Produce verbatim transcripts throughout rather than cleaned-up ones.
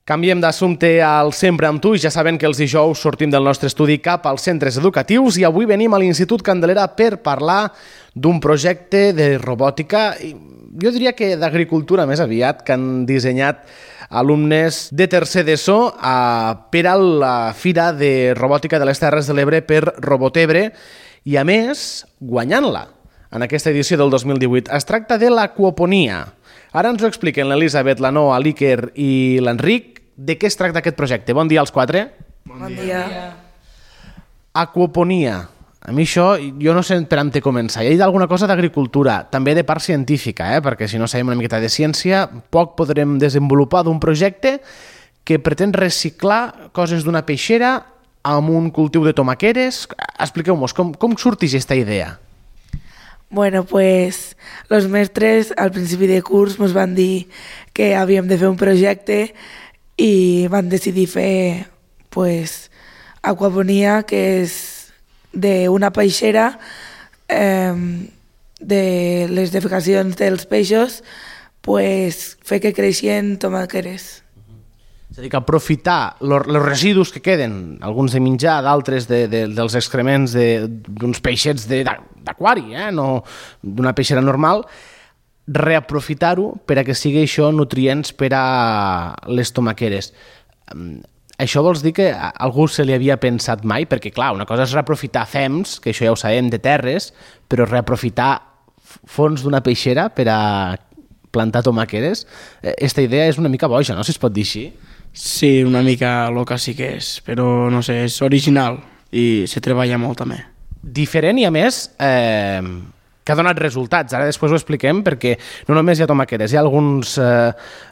Canviem d'assumpte al Sempre amb tu i ja saben que els dijous sortim del nostre estudi cap als centres educatius i avui venim a l'Institut Candelera per parlar d'un projecte de robòtica, jo diria que d'agricultura més aviat, que han dissenyat alumnes de tercer d'ESO per a la Fira de Robòtica de les Terres de l'Ebre per Robotebre i, a més, guanyant-la en aquesta edició del dos mil divuit. Es tracta de l'aquaponia. Ara ens ho expliquen l'Elisabet, la Noa, l'Iker i l'Enric. De què es tracta aquest projecte? Bon dia als quatre. Bon dia. Aquaponia. A mi això, jo no sé per on té començar. Hi ha alguna cosa d'agricultura, també de part científica, eh? Perquè si no sabem una miqueta de ciència, poc podrem desenvolupar d'un projecte que pretén reciclar coses d'una peixera amb un cultiu de tomaqueres. Expliqueu-nos, com, com sortix aquesta idea? Bueno, pues los mestres al principi de curs ens van dir que havíem de fer un projecte i van decidir fer pues, aquaponia, que és d'una peixera, eh, de les defecacions dels peixos, pues, fer que creixien tomaqueres. És a dir, que aprofitar els residus que queden, alguns de menjar, d'altres de, de, dels excrements d'uns peixets d'aquari, eh? No d'una peixera normal, reaprofitar-ho per a que sigui això nutrients per a les tomaqueres. Això vols dir que a algú se li havia pensat mai? Perquè, clar, una cosa és reaprofitar fems, que això ja ho sabem, de terres, però reaprofitar fons d'una peixera per a plantar tomaqueres, aquesta idea és una mica boja, no?, si es pot dir així. Sí, una mica loca sí que és, però no sé, és original i se treballa molt també. Diferent i, a més, eh, que ha donat resultats. Ara després ho expliquem, perquè no només hi ha tomaqueres, hi ha alguns eh,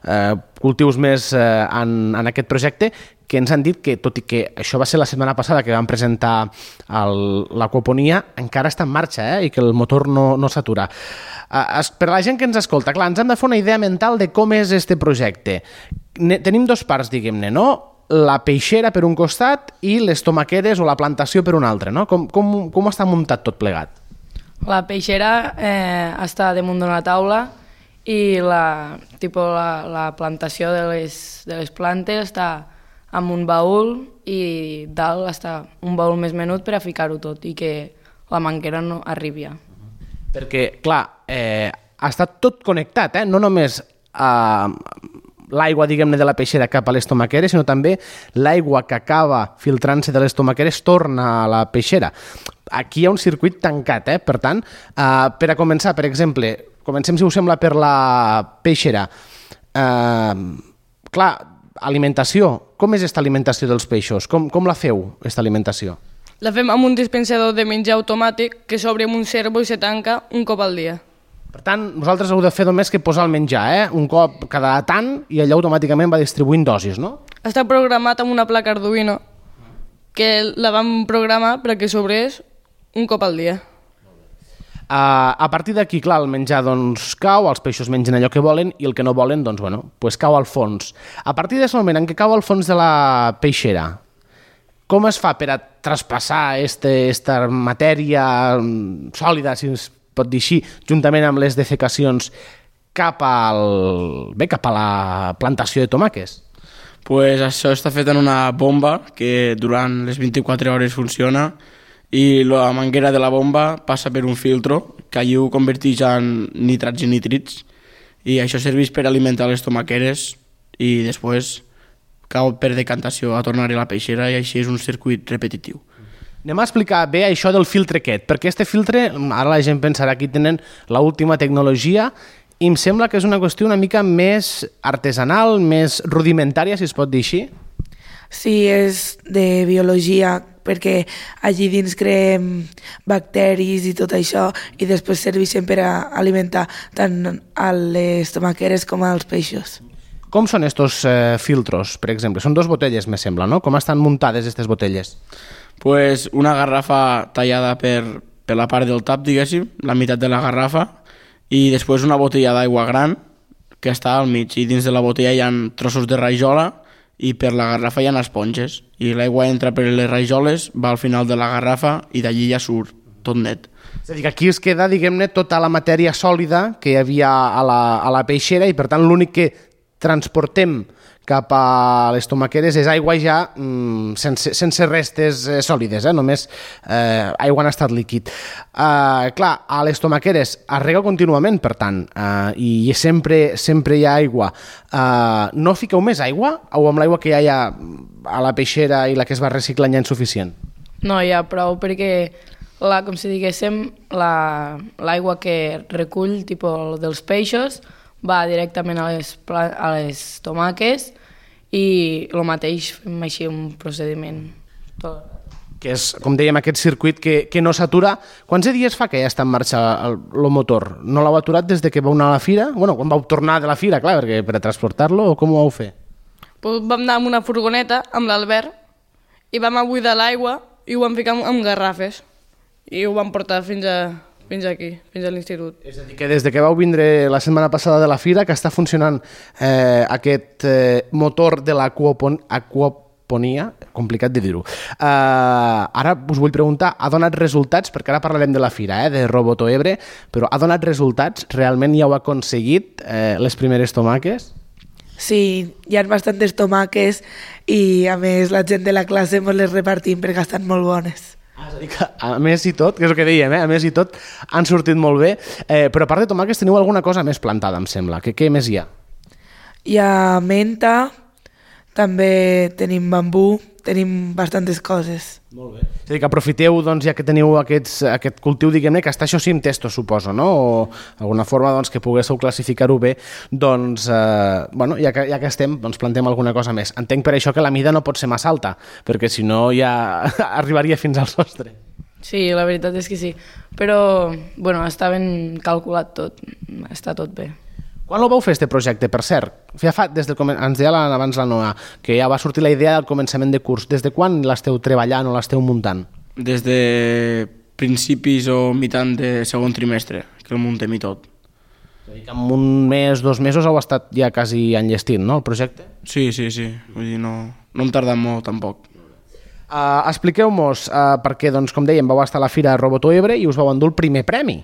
eh, cultius més eh, en, en aquest projecte que ens han dit que, tot i que això va ser la setmana passada que vam presentar l'aquaponia, encara està en marxa eh, i que el motor no, no s'atura. Eh, per a la gent que ens escolta, clar, ens hem de fer una idea mental de com és este projecte. Ne, tenim dos parts, diguem-ne, no? La peixera per un costat i les tomaqueres o la plantació per un altre, no? Com, com, com està muntat tot plegat? La peixera eh, està damunt d'una taula i la, tipo, la, la plantació de les, de les plantes està amb un baúl i dalt està un baúl més menut per a ficar-ho tot i que la manguera no arribi. Perquè, clar, eh, està tot connectat, eh? No només eh, l'aigua, diguem-ne, de la peixera cap a les tomaqueres, sinó també l'aigua que acaba filtrant-se de les tomaqueres torna a la peixera. Aquí hi ha un circuit tancat, eh? Per tant, eh, per a començar, per exemple, comencem, si us sembla, per la peixera. Eh, clar, alimentació. Com és aquesta alimentació dels peixos? Com, com la feu, aquesta alimentació? La fem amb un dispensador de menjar automàtic que s'obre amb un servo i se tanca un cop al dia. Per tant, vosaltres heu de fer només que posar el menjar, eh? Un cop cada tant i allò automàticament va distribuint dosis, no? Està programat amb una placa Arduino que la vam programar perquè s'obrés un cop al dia. Uh, a partir d'aquí, clar, el menjar doncs, cau, els peixos mengen allò que volen i el que no volen, doncs, bueno, pues cau al fons. A partir d'aquest moment en què cau al fons de la peixera, com es fa per a traspassar este, esta matèria sòlida, si es pot dir així, juntament amb les defecacions cap, al, bé, cap a la plantació de tomàquets? Pues això està fet en una bomba que durant les vint-i-quatre hores funciona i la manguera de la bomba passa per un filtro que allí ho converteix en nitrats i nitrits i això serveix per alimentar les tomaqueres i després cau per decantació a tornar a la peixera i així és un circuit repetitiu. Anem a explicar bé això del filtre aquest, perquè este filtre, ara la gent pensarà que tenen l'última tecnologia i em sembla que és una qüestió una mica més artesanal, més rudimentària, si es pot dir així. Sí, és de biologia, perquè allí dins creem bacteris i tot això i després serveixen per a alimentar tant a les tomaqueres com als peixos. Com són estos eh, filtros, per exemple? Són dos botelles, me sembla, no? Com estan muntades aquestes botelles? Pues una garrafa tallada per, per la part del tap, diguéssim, la meitat de la garrafa, i després una botella d'aigua gran que està al mig, i dins de la botella hi ha trossos de rajola i per la garrafa hi ha esponges, i l'aigua entra per les rajoles, va al final de la garrafa i d'allí ja surt tot net. És a dir, que aquí es queda, diguem-ne, tota la matèria sòlida que hi havia a la, a la peixera i, per tant, l'únic que transportem cap a les tomaqueres és aigua ja mm, sense, sense restes eh, sòlides, eh? Només eh, aigua en estat líquid. Eh, clar, a les tomaqueres es rega contínuament, per tant, eh, i sempre, sempre hi ha aigua. Eh, no fiqueu més aigua o amb l'aigua que ja hi ha a la peixera i la que es va reciclant ja insuficient? No, hi ha prou perquè, la, com si diguéssim, l'aigua la, que recull tipus, dels peixos va directament a les, a les tomaques i el mateix fem així un procediment. Tot. Que és, com dèiem, aquest circuit que, que no s'atura. Quants dies fa que ja està en marxa el, el motor? No l'heu aturat des de que vau anar a la fira? Bueno, quan vau tornar de la fira, clar, perquè per a transportar-lo, o com ho vau fer? Pues vam anar amb una furgoneta, amb l'Albert, i vam buidar l'aigua i ho vam ficar amb garrafes. I ho vam portar fins, a, fins aquí, fins a l'institut. És a dir, que des de que vau vindre la setmana passada de la fira, que està funcionant eh, aquest eh, motor de l'aquaponia, Ponia, complicat de dir-ho. Uh, ara us vull preguntar, ha donat resultats, perquè ara parlarem de la fira, eh, de Roboto Ebre, però ha donat resultats? Realment ja heu aconseguit eh, les primeres tomaques? Sí, hi ha bastantes tomaques i a més la gent de la classe ens les repartim perquè estan molt bones. Ah, és a dir que a més i tot, que és el que dèiem, eh, a més i tot han sortit molt bé, eh, però a part de tomaques teniu alguna cosa més plantada, em sembla. Que, què més hi ha? Hi ha menta, també tenim bambú, tenim bastantes coses. Molt bé. És a dir, que aprofiteu, doncs, ja que teniu aquests, aquest cultiu, diguem-ne, que està això sí en testo, suposo, no? O alguna forma doncs, que poguéssiu classificar-ho bé, doncs, eh, bueno, ja que, ja que estem, doncs plantem alguna cosa més. Entenc per això que la mida no pot ser massa alta, perquè si no ja arribaria fins al sostre. Sí, la veritat és que sí, però bueno, està ben calculat tot, està tot bé. Quan el vau fer, este projecte, per cert? Ja fa, des del, ens deia abans la Noa, que ja va sortir la idea del començament de curs. Des de quan l'esteu treballant o l'esteu muntant? Des de principis o mitant de segon trimestre, que el muntem i tot. És a dir, que en un mes, dos mesos heu estat ja quasi enllestint, no, el projecte? Sí, sí, sí. Vull dir, no, no hem tardat molt, tampoc. Uh, Expliqueu-nos, uh, perquè, doncs, com dèiem, vau estar a la Fira Roboto Ebre i us vau endur el primer premi,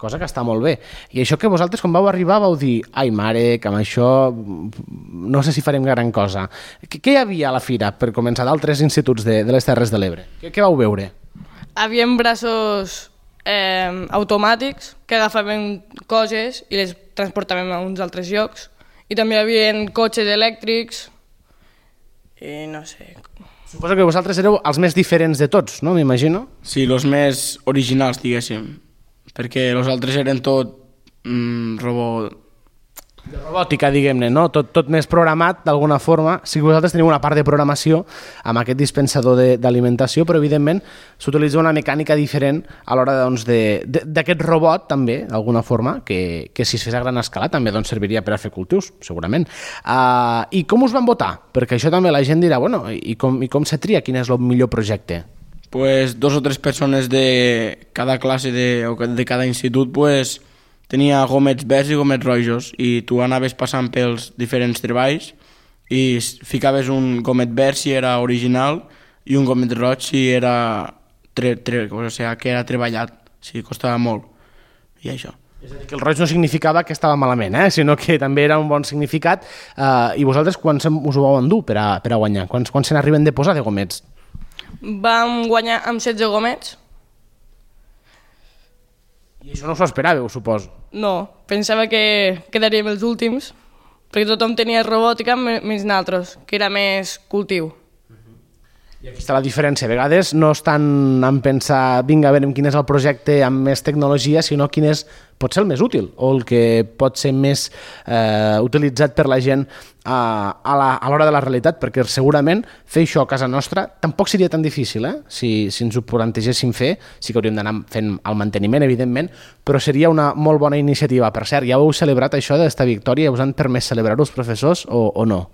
cosa que està molt bé. I això que vosaltres, quan vau arribar, vau dir ai, mare, que amb això no sé si farem gran cosa. Què, què hi havia a la fira, per començar, d'altres instituts de, de les Terres de l'Ebre? Què, què vau veure? Havien braços eh, automàtics que agafaven coses i les transportàvem a uns altres llocs. I també hi havia cotxes elèctrics i no sé... Suposo que vosaltres éreu els més diferents de tots, no? M'imagino. Sí, els més originals, diguéssim, perquè els altres eren tot mm, robot... De robòtica, diguem-ne, no? Tot, tot més programat, d'alguna forma. Sí que vosaltres teniu una part de programació amb aquest dispensador d'alimentació, però evidentment s'utilitza una mecànica diferent a l'hora doncs, d'aquest robot, també, d'alguna forma, que, que si es fes a gran escala també doncs, serviria per a fer cultius, segurament. Uh, I com us van votar? Perquè això també la gent dirà, bueno, i com, i com se tria quin és el millor projecte? Pues dos o tres persones de cada classe de, o de cada institut pues, tenia gomets verds i gomets rojos i tu anaves passant pels diferents treballs i ficaves un gomet verd si era original i un gomet roig si era, tre, tre, o sigui, que era treballat, si costava molt i això. És a dir, que el roig no significava que estava malament, eh? Sinó que també era un bon significat. Uh, I vosaltres quan us ho vau endur per a, per a guanyar? Quants, quants se n'arriben de posar de gomets? Vam guanyar amb setze gomets. I això no us ho esperàveu, suposo? No, pensava que quedaríem els últims, perquè tothom tenia robòtica menys nosaltres, que era més cultiu. I aquí està la diferència. A vegades no estan en pensar, vinga, a veure quin és el projecte amb més tecnologia, sinó quin és, pot ser el més útil o el que pot ser més eh, utilitzat per la gent a, a l'hora de la realitat, perquè segurament fer això a casa nostra tampoc seria tan difícil, eh? Si, si ens ho plantegéssim fer, sí que hauríem d'anar fent el manteniment, evidentment, però seria una molt bona iniciativa. Per cert, ja heu celebrat això d'esta victòria? Us han permès celebrar-ho els professors o, o no?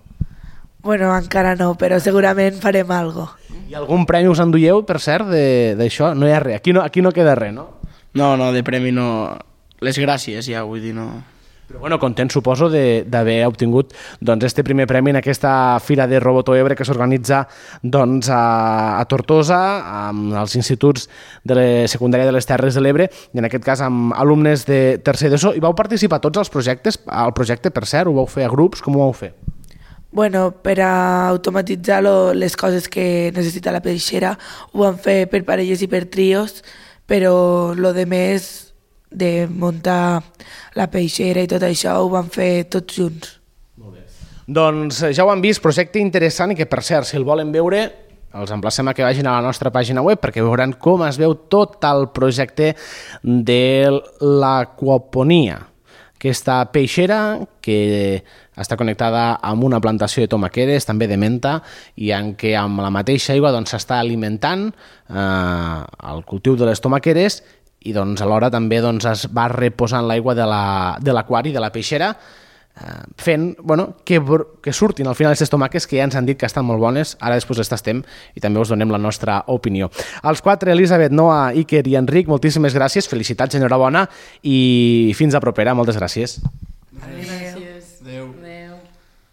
Bueno, encara no, però segurament farem alguna cosa. I algun premi us enduieu, per cert, d'això? No hi ha res, aquí no, aquí no queda res, no? No, no, de premi no... Les gràcies ja, vull dir, no... Però bueno, content suposo d'haver obtingut doncs, este primer premi en aquesta Fira de Roboto Ebre que s'organitza doncs, a, a Tortosa, amb els instituts de la secundària de les Terres de l'Ebre, i en aquest cas amb alumnes de tercer d'ESO. I vau participar tots els projectes? El projecte, per cert, ho vau fer a grups? Com ho vau fer? Bueno, per a automatitzar lo, les coses que necessita la peixera ho van fer per parelles i per trios, però lo de més de muntar la peixera i tot això ho van fer tots junts. Doncs ja ho han vist, projecte interessant i que, per cert, si el volen veure, els emplacem a que vagin a la nostra pàgina web perquè veuran com es veu tot el projecte de l'aquaponia, aquesta peixera que està connectada amb una plantació de tomaqueres, també de menta, i en què amb la mateixa aigua doncs, s'està alimentant eh, el cultiu de les tomaqueres i doncs, alhora també doncs, es va reposant l'aigua de l'aquari, de, de la peixera, fent bueno, que, que surtin al final aquestes tomaques que ja ens han dit que estan molt bones, ara després les tastem i també us donem la nostra opinió. Els quatre, Elisabet, Noa, Iker i Enric, moltíssimes gràcies, felicitats, enhorabona i fins a propera, moltes gràcies. Gràcies. Adéu.